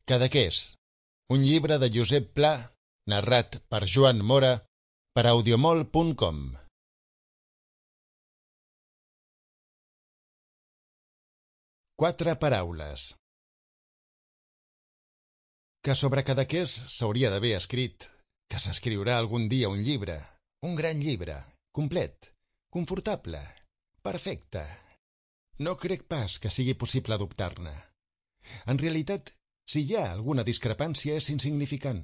Cadaqués, un llibre de Josep Pla, narrat per Joan Mora, per audiomol.com. 4 paraules. Que sobre Cadaqués s'hauria d'haver escrit que s'escriurà algun dia un llibre, un gran llibre, complet, confortable, perfecte. No crec pas que sigui possible adoptar-ne. En realitat, si hi ha alguna discrepància és insignificant.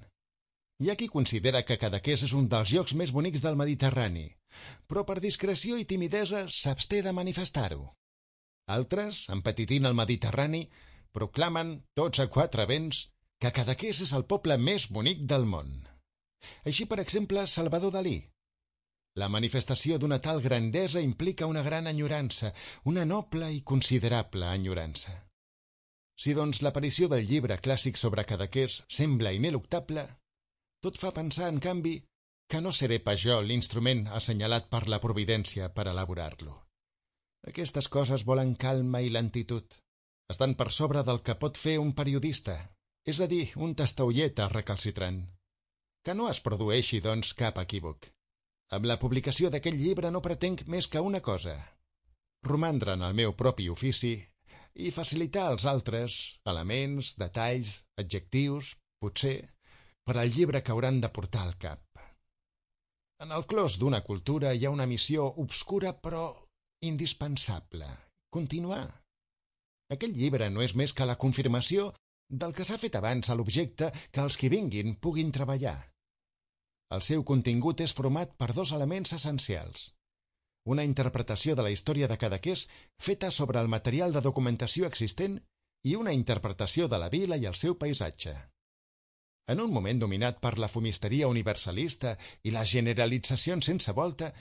Hi ha qui considera que Cadaqués és un dels llocs més bonics del Mediterrani, però per discreció i timidesa s'absté de manifestar-ho. Altres, empetitint el Mediterrani, proclamen, tots a 4 vents, que Cadaqués és el poble més bonic del món. Així, per exemple, Salvador Dalí. La manifestació d'una tal grandesa implica una gran enyorança, una noble i considerable enyorança. Si, doncs, l'aparició del llibre clàssic sobre Cadaqués sembla ineluctable, tot fa pensar, en canvi, que no seré pas jo l'instrument assenyalat per la providència per elaborar-lo. Aquestes coses volen calma i lentitud. Estan per sobre del que pot fer un periodista, és a dir, un testaolleta recalcitrant. Que no es produeixi, doncs, cap equívoc. Amb la publicació d'aquest llibre no pretenc més que una cosa: romandre en el meu propi ofici i facilitar als altres elements, detalls, adjectius, potser, per al llibre que hauran de portar al cap. En el clos d'una cultura hi ha una missió obscura però indispensable: continuar. Aquell llibre no és més que la confirmació del que s'ha fet abans a l'objecte que els qui vinguin puguin treballar. El seu contingut és format per 2 elements essencials: una interpretació de la història de Cadaqués feta sobre el material de documentació existent i una interpretació de la vila i el seu paisatge. En un moment dominat per la fumisteria universalista i les generalitzacions sense volta,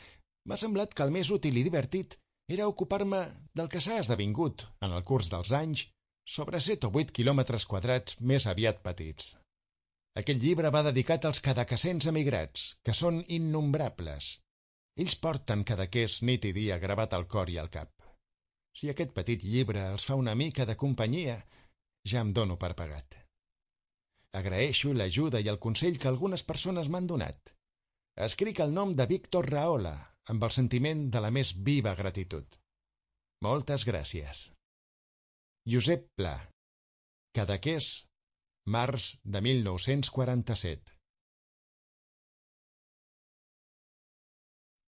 m'ha semblat que el més útil i divertit era ocupar-me del que s'ha esdevingut, en el curs dels anys, sobre 7 o 8 quilòmetres quadrats més aviat petits. Aquest llibre va dedicat als cadaquesens emigrats, que són innombrables. Ells porten Cadaqués nit i dia gravat al cor i al cap. Si aquest petit llibre els fa una mica de companyia, ja em dono per pagat. Agraeixo l'ajuda i el consell que algunes persones m'han donat. Escric el nom de Víctor Rahola, amb el sentiment de la més viva gratitud. Moltes gràcies. Josep Pla. Cadaqués, març de 1947.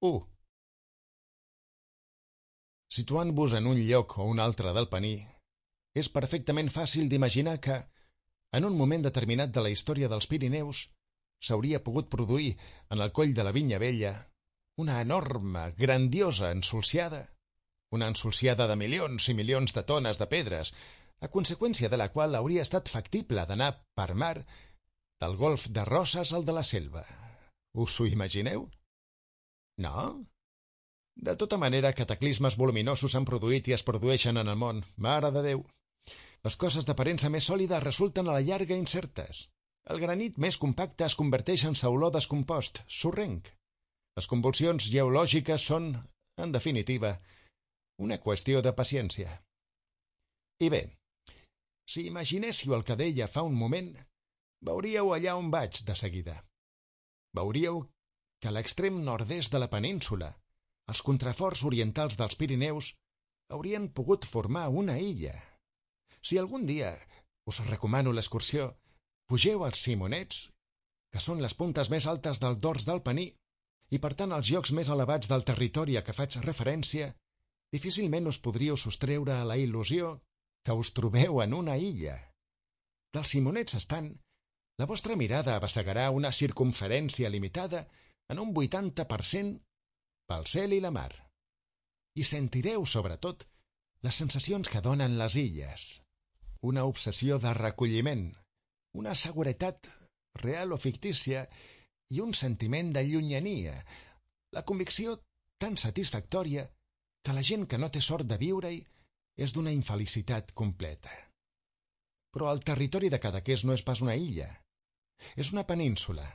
1. Situant-vos en un lloc o un altre del Pení, és perfectament fàcil d'imaginar que, en un moment determinat de la història dels Pirineus, s'hauria pogut produir, en el coll de la Vinya Vella, una enorme, grandiosa ensolsiada, una ensolsiada de milions i milions de tones de pedres, a conseqüència de la qual hauria estat factible d'anar per mar del golf de Roses al de la Selva. Us ho imagineu? No? De tota manera, cataclismes voluminosos s'han produït i es produeixen en el món. Mare de Déu! Les coses d'aparença més sòlida resulten a la llarga incertes. El granit més compacte es converteix en sauló descompost, sorrenc. Les convulsions geològiques són, en definitiva, una qüestió de paciència. I bé, si imaginéssiu el que deia fa un moment, veuríeu allà on vaig de seguida. Veuríeu que a l'extrem nord-est de la península, els contraforts orientals dels Pirineus haurien pogut formar una illa. Si algun dia us recomano l'excursió, pugeu als Simonets, que són les puntes més altes del dors del Pení, i per tant els llocs més elevats del territori a què faig referència, difícilment us podríeu sostreure a la il·lusió que us trobeu en una illa. Dels Simonets estant, la vostra mirada abassegarà una circumferència limitada en un 80% pel cel i la mar. I sentireu, sobretot, les sensacions que donen les illes. Una obsessió de recolliment, una seguretat real o fictícia i un sentiment de llunyania, la convicció tan satisfactòria que la gent que no té sort de viure-hi és d'una infelicitat completa. Però el territori de Cadaqués no és pas una illa, és una península.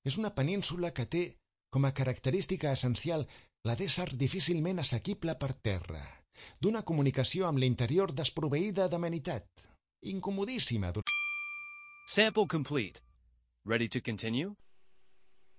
És una península que té com a característica essencial la d'ésser difícilment assequible per terra, d'una comunicació amb l'interior desproveïda d'amenitat, incomodíssima. Sample complete. Ready to continue?